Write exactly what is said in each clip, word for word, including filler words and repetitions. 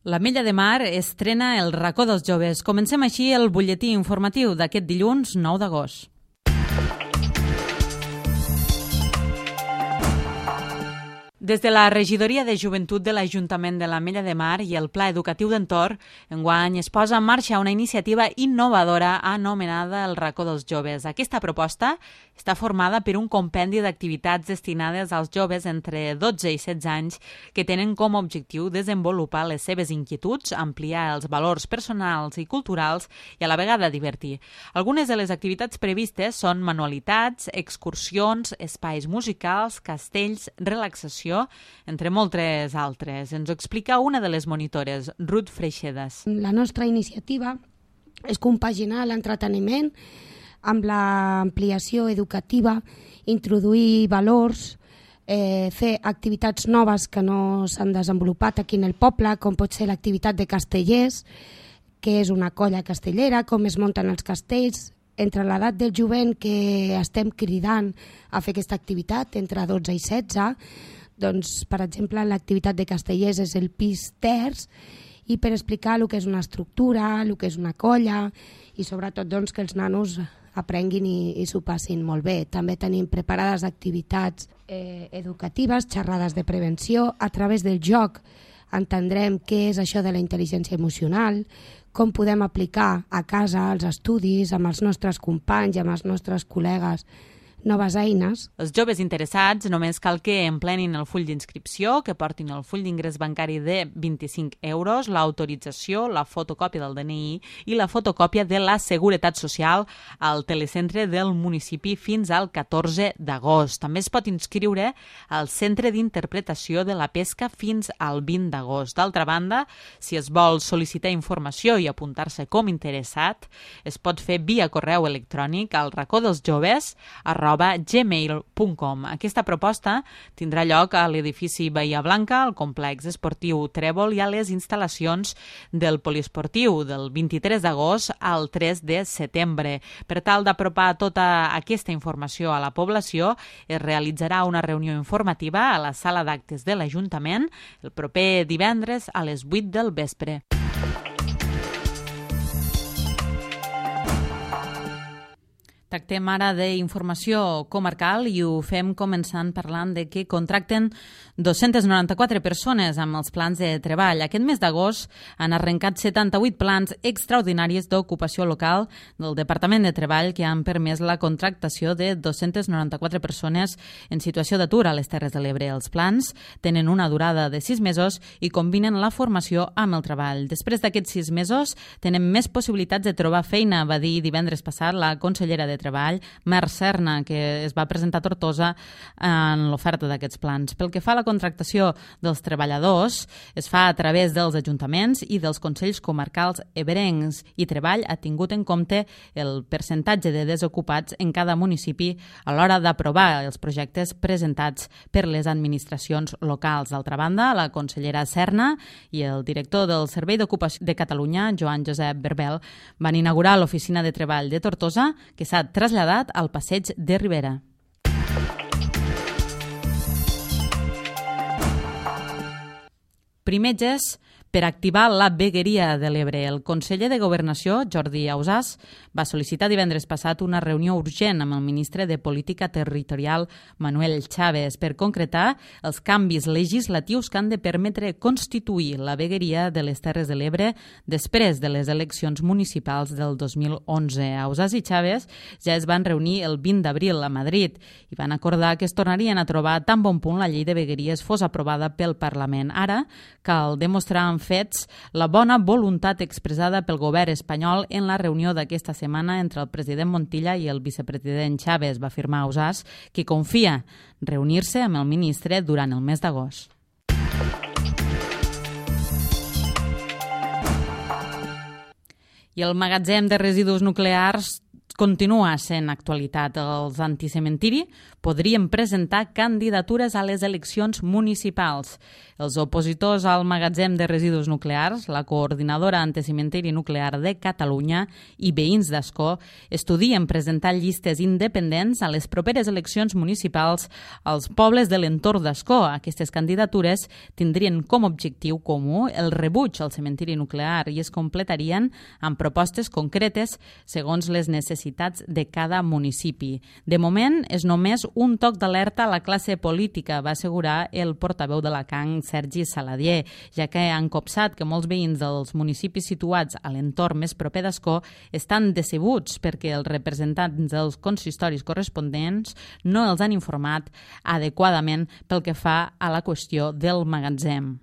L'Ametlla de Mar estrena el racó dels joves. Comencem així el butlletí informatiu d'aquest dilluns nou d'agost. Des de la Regidoria de Joventut de l'Ajuntament de l'Ametlla de Mar i el Pla Educatiu d'Entorn, enguany es posa en marxa una iniciativa innovadora anomenada el Racó dels Joves. Aquesta proposta està formada per un compendi d'activitats destinades als joves entre dotze i setze anys que tenen com a objectiu desenvolupar les seves inquietuds, ampliar els valors personals i culturals i a la vegada divertir. Algunes de les activitats previstes són manualitats, excursions, espais musicals, castells, relaxació, entre moltes altres. Ens ho explica una de les monitores, Ruth Freixedas. La nostra iniciativa és compaginar l'entreteniment amb l'ampliació educativa, introduir valors, eh, fer activitats noves que no s'han desenvolupat aquí en el poble, com pot ser l'activitat de castellers, que és una colla castellera, com es munten els castells, entre l'edat del jovent que estem cridant a fer aquesta activitat, entre dotze i setze, doncs, per exemple, l'activitat de castellers és el pis terç, i per explicar el que és una estructura, el que és una colla, i sobretot doncs, que els nanos aprenguin i, i s'ho passin molt bé. També tenim preparades activitats eh, educatives, xerrades de prevenció. A través del joc entendrem què és això de la intel·ligència emocional, com podem aplicar a casa, als estudis, amb els nostres companys, amb els nostres col·legues, noves eines. Els joves interessats només cal que emplenin el full d'inscripció, que portin el full d'ingrés bancari de vint-i-cinc euros, l'autorització, la fotocòpia del D N I i la fotocòpia de la Seguretat Social al telecentre del municipi fins al catorze d'agost. També es pot inscriure al Centre d'Interpretació de la Pesca fins al vint d'agost. D'altra banda, si es vol sol·licitar informació i apuntar-se com interessat, es pot fer via correu electrònic al racó dels joves arroba gmail punt com. Aquesta proposta tindrà lloc a l'edifici Bahia Blanca, al complex esportiu Trèvol i a les instal·lacions del poliesportiu del vint-i-tres d'agost al tres de setembre. Per tal d'apropar tota aquesta informació a la població, es realitzarà una reunió informativa a la sala d'actes de l'Ajuntament el proper divendres a les vuit del vespre. Tractem ara d'informació comarcal i ho fem començant parlant de que contracten dos-centes noranta-quatre persones amb els plans de treball. Aquest mes d'agost han arrencat setanta-vuit plans extraordinaris d'ocupació local del Departament de Treball que han permès la contractació de dos-centes noranta-quatre persones en situació d'atur a les Terres de l'Ebre. Els plans tenen una durada de sis mesos i combinen la formació amb el treball. Després d'aquests sis mesos tenen més possibilitats de trobar feina, va dir divendres passat la consellera de Treball, Mer Serna, que es va presentar a Tortosa en l'oferta d'aquests plans. Pel que fa a la contractació dels treballadors, es fa a través dels ajuntaments i dels consells comarcals ebrencs i Treball ha tingut en compte el percentatge de desocupats en cada municipi a l'hora d'aprovar els projectes presentats per les administracions locals. D'altra banda, la consellera Serna i el director del Servei d'Ocupació de Catalunya, Joan Josep Berbel, van inaugurar l'oficina de treball de Tortosa, que s'ha traslladat al passeig de Ribera. Primetges per activar la vegueria de l'Ebre. El conseller de Governació, Jordi Ausàs, va sol·licitar divendres passat una reunió urgent amb el ministre de Política Territorial, Manuel Chaves, per concretar els canvis legislatius que han de permetre constituir la vegueria de les Terres de l'Ebre després de les eleccions municipals del dos mil onze. Ausàs i Chaves ja es van reunir el vint d'abril a Madrid i van acordar que es tornarien a trobar tan bon punt la llei de vegueries fos aprovada pel Parlament. Ara cal demostrar amb fets la bona voluntat expressada pel govern espanyol en la reunió d'aquesta setmana entre el president Montilla i el vicepresident Chaves, va afirmar Ausàs, que confia reunir-se amb el ministre durant el mes d'agost. I el magatzem de residus nuclears continua sent actualitat. Els anticementiri podrien presentar candidatures a les eleccions municipals. Els opositors al magatzem de residus nuclears, la Coordinadora Anticementiri Nuclear de Catalunya i veïns d'Ascó estudien presentar llistes independents a les properes eleccions municipals als pobles de l'entorn d'Ascó. Aquestes candidatures tindrien com a objectiu comú el rebuig al cementiri nuclear i es completarien amb propostes concretes segons les necessitats de cada municipi. De moment, és només un toc d'alerta a la classe política, va assegurar el portaveu de la C A N, Sergi Saladier, ja que han copsat que molts veïns dels municipis situats a l'entorn més proper d'Ascó estan decebuts perquè els representants dels consistoris corresponents no els han informat adequadament pel que fa a la qüestió del magatzem.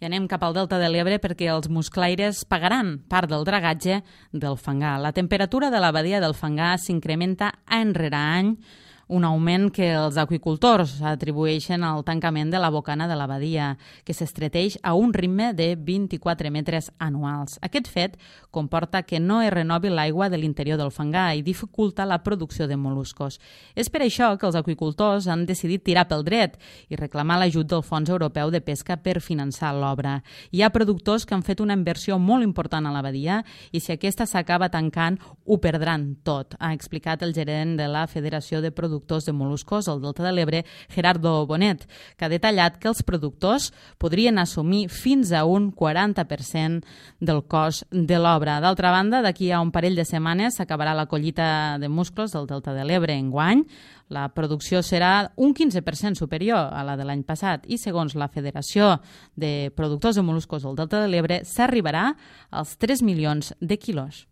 I anem cap al Delta de l'Ebre perquè els musclaires pagaran part del dragatge del fangar. La temperatura de la badia del fangar s'incrementa any rere any, un augment que els aqüicultors atribueixen al tancament de la bocana de la badia, que s'estreteix a un ritme de vint-i-quatre metres anuals. Aquest fet comporta que no es renovi l'aigua de l'interior del fangar i dificulta la producció de mol·luscos. És per això que els aqüicultors han decidit tirar pel dret i reclamar l'ajut del Fons Europeu de Pesca per finançar l'obra. Hi ha productors que han fet una inversió molt important a la badia i si aquesta s'acaba tancant, ho perdran tot, ha explicat el gerent de la Federació de Productors de Mol·luscos al Delta de l'Ebre, Gerardo Bonet, que ha detallat que els productors podrien assumir fins a un quaranta per cent del cost de l'obra. D'altra banda, d'aquí a un parell de setmanes s'acabarà la collita de musclos del Delta de l'Ebre enguany. La producció serà un quinze per cent superior a la de l'any passat i, segons la Federació de Productors de Mol·luscos del Delta de l'Ebre, s'arribarà als tres milions de quilos.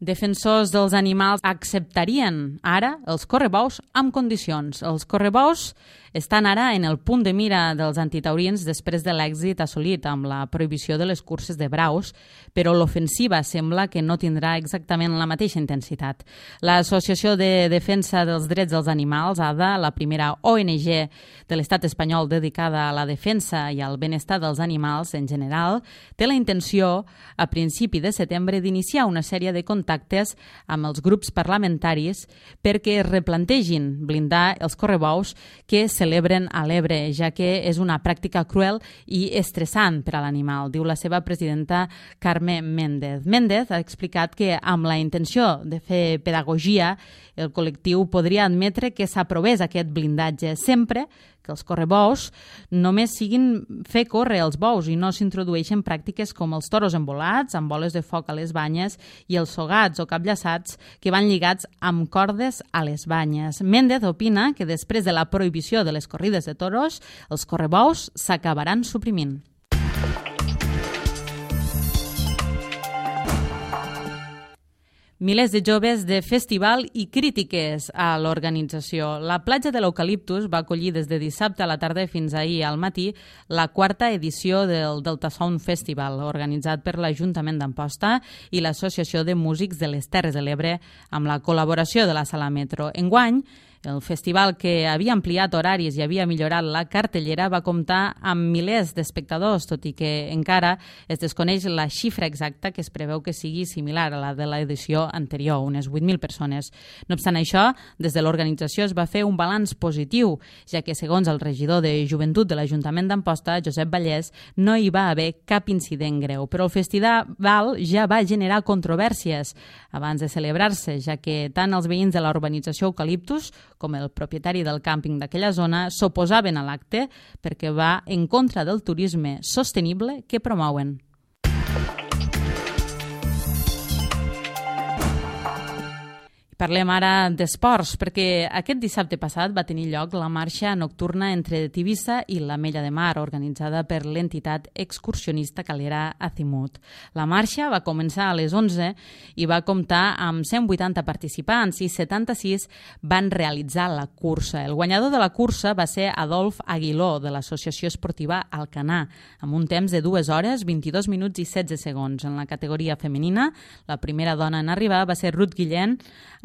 Defensors dels animals acceptarien ara els correbous amb condicions. Els correbous estan ara en el punt de mira dels antitaurins després de l'èxit assolit amb la prohibició de les curses de braus, però l'ofensiva sembla que no tindrà exactament la mateixa intensitat. L'Associació de Defensa dels Drets dels Animals, A D A, la primera O N G de l'estat espanyol dedicada a la defensa i al benestar dels animals en general, té la intenció, a principi de setembre, d'iniciar una sèrie de contactes amb els grups parlamentaris perquè es replantegin blindar els correbous que celebren a l'Ebre, ja que és una pràctica cruel i estressant per a l'animal, diu la seva presidenta Carme Méndez. Méndez ha explicat que amb la intenció de fer pedagogia, el col·lectiu podria admetre que s'aprovés aquest blindatge sempre que els correbous només siguin fer córrer els bous i no s'introdueixen pràctiques com els toros embolats, amb boles de foc a les banyes i els sogats o capllaçats que van lligats amb cordes a les banyes. Méndez opina que després de la prohibició de les corrides de toros, els correbous s'acabaran suprimint. Milers de joves de festival i crítiques a l'organització. La platja de l'Eucaliptus va acollir des de dissabte a la tarda fins ahir al matí la quarta edició del Delta Sound Festival, organitzat per l'Ajuntament d'Amposta i l'Associació de Músics de les Terres de l'Ebre amb la col·laboració de la Sala Metro. Enguany, el festival, que havia ampliat horaris i havia millorat la cartellera, va comptar amb milers d'espectadors, tot i que encara es desconeix la xifra exacta, que es preveu que sigui similar a la de l'edició anterior, unes vuit mil persones. No obstant això, des de l'organització es va fer un balanç positiu, ja que, segons el regidor de Joventut de l'Ajuntament d'Amposta, Josep Vallès, no hi va haver cap incident greu. Però el festival ja va generar controvèrsies abans de celebrar-se, ja que tant els veïns de la urbanització Eucaliptus com el propietari del càmping d'aquella zona s'oposaven a l'acte perquè va en contra del turisme sostenible que promouen. Parlem ara d'esports, perquè aquest dissabte passat va tenir lloc la marxa nocturna entre Tivissa i l'Ametlla de Mar, organitzada per l'entitat excursionista calera Azimut. La marxa va començar a les onze i va comptar amb cent vuitanta participants i setanta-sis van realitzar la cursa. El guanyador de la cursa va ser Adolf Aguiló, de l'Associació Esportiva Alcanar, amb un temps de dues hores, vint-i-dos minuts i setze segons. En la categoria femenina, la primera dona en arribar va ser Ruth Guillén,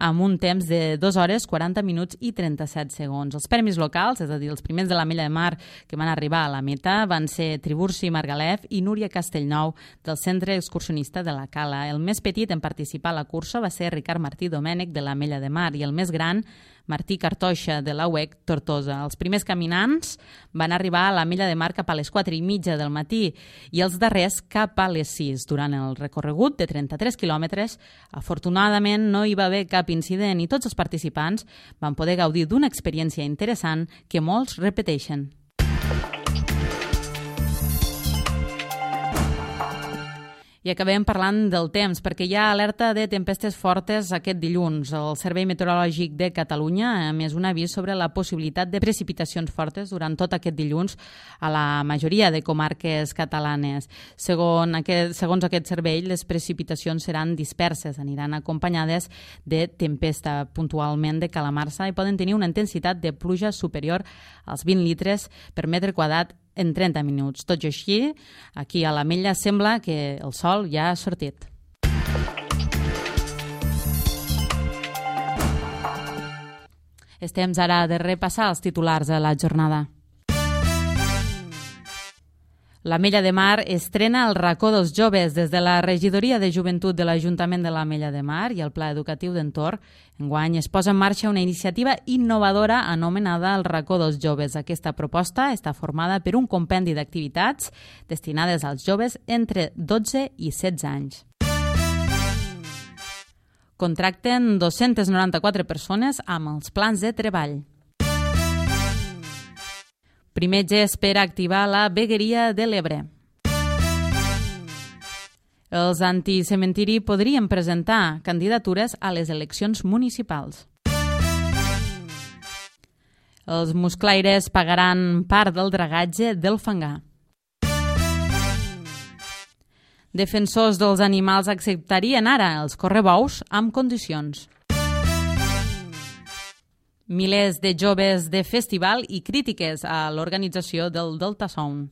amb un temps de dues hores, quaranta minuts i trenta-set segons. Els premis locals, és a dir, els primers de l'Ametlla de Mar que van arribar a la meta, van ser Tiburci Margalef i Núria Castellnou del Centre Excursionista de la Cala. El més petit en participar a la cursa va ser Ricard Martí Domènech de l'Ametlla de Mar i el més gran, Martí Cartoixa de la U E C Tortosa. Els primers caminants van arribar a l'Ametlla de Mar cap a les quatre i mitja del matí i els darrers cap a les sis. Durant el recorregut de trenta-tres quilòmetres, afortunadament no hi va haver cap incident i tots els participants van poder gaudir d'una experiència interessant que molts repeteixen. I acabem parlant del temps, perquè hi ha alerta de tempestes fortes aquest dilluns. El Servei Meteorològic de Catalunya ha emès un avís sobre la possibilitat de precipitacions fortes durant tot aquest dilluns a la majoria de comarques catalanes. Segons aquest, segons aquest servei, les precipitacions seran disperses, aniran acompanyades de tempesta, puntualment de calamarsa, i poden tenir una intensitat de pluja superior als vint litres per metre quadrat en trenta minuts. Tot i així, aquí a l'Ametlla sembla que el sol ja ha sortit. És temps ara de repassar els titulars de la jornada. L'Ametlla de Mar estrena el racó dels joves. Des de la Regidoria de Joventut de l'Ajuntament de l'Ametlla de Mar i el Pla Educatiu d'Entorn, enguany es posa en marxa una iniciativa innovadora anomenada el racó dels joves. Aquesta proposta està formada per un compendi d'activitats destinades als joves entre dotze i setze anys. Contracten dos-centes noranta-quatre persones amb els plans de treball. Primer gest per activar la vegueria de l'Ebre. Els anticementiri podrien presentar candidatures a les eleccions municipals. Els musclaires pagaran part del dragatge del fangar. Defensors dels animals acceptarien ara els correbous amb condicions. Milers de joves de festival i crítiques a l'organització del Delta Sound.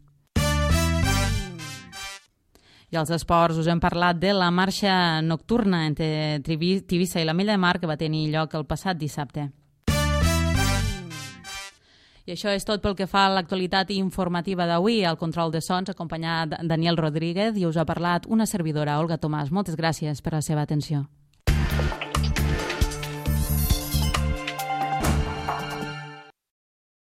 I als esports us hem parlat de la marxa nocturna entre Tivissa i l'Ametlla de Mar que va tenir lloc el passat dissabte. I això és tot pel que fa a l'actualitat informativa d'avui. Al control de sons, acompanyat Daniel Rodríguez, i us ha parlat una servidora, Olga Tomàs. Moltes gràcies per la seva atenció.